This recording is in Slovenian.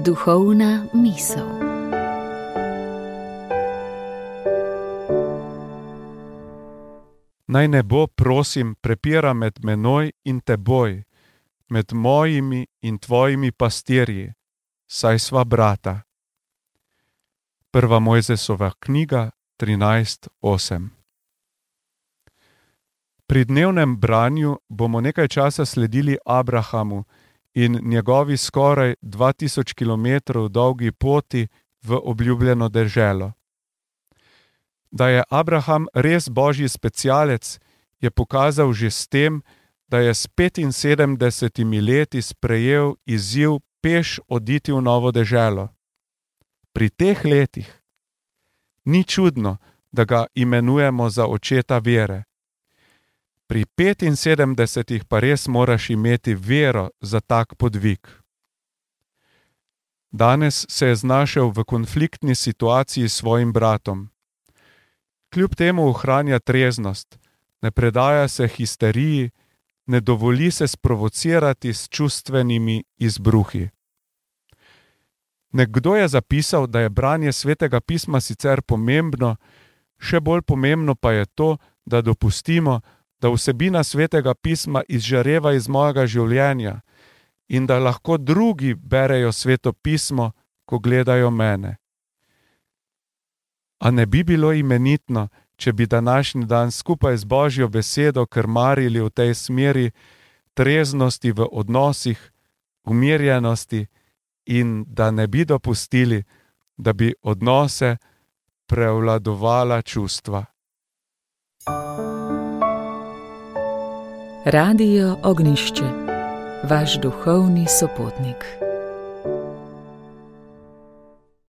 Duhovna misel. Naj nebo, prosim, prepira med menoj in teboj, med mojimi in tvojimi pastirji, saj sva brata. 1. Mojzesova knjiga 13:8. Pri dnevnem branju bomo nekaj časa sledili Abrahamu in njegovi skoraj 2000 kilometrov dolgi poti v obljubljeno deželo. Da je Abraham res božji specialec, je pokazal že s tem, da je s 75 leti sprejel izziv peš oditi v novo deželo. Pri teh letih ni čudno, da ga imenujemo za očeta vere. Pri 75 pa res moraš imeti vero za tak podvig. Danes se je znašel v konfliktni situaciji s svojim bratom. Kljub temu ohranja treznost, ne predaja se histeriji, ne dovoli se sprovocirati s čustvenimi izbruhi. Nekdo je zapisal, da je branje Svetega pisma sicer pomembno, še bolj pomembno pa je to, da dopustimo, da vsebina Svetega pisma izžareva iz mojega življenja in da lahko drugi berejo Sveto pismo, ko gledajo mene. A ne bi bilo imenitno, če bi današnji dan skupaj z Božjo besedo krmarili v tej smeri treznosti v odnosih, umirjenosti in da ne bi dopustili, da bi odnose prevladovala čustva. Radio Ognjišče, vaš duhovni sopotnik.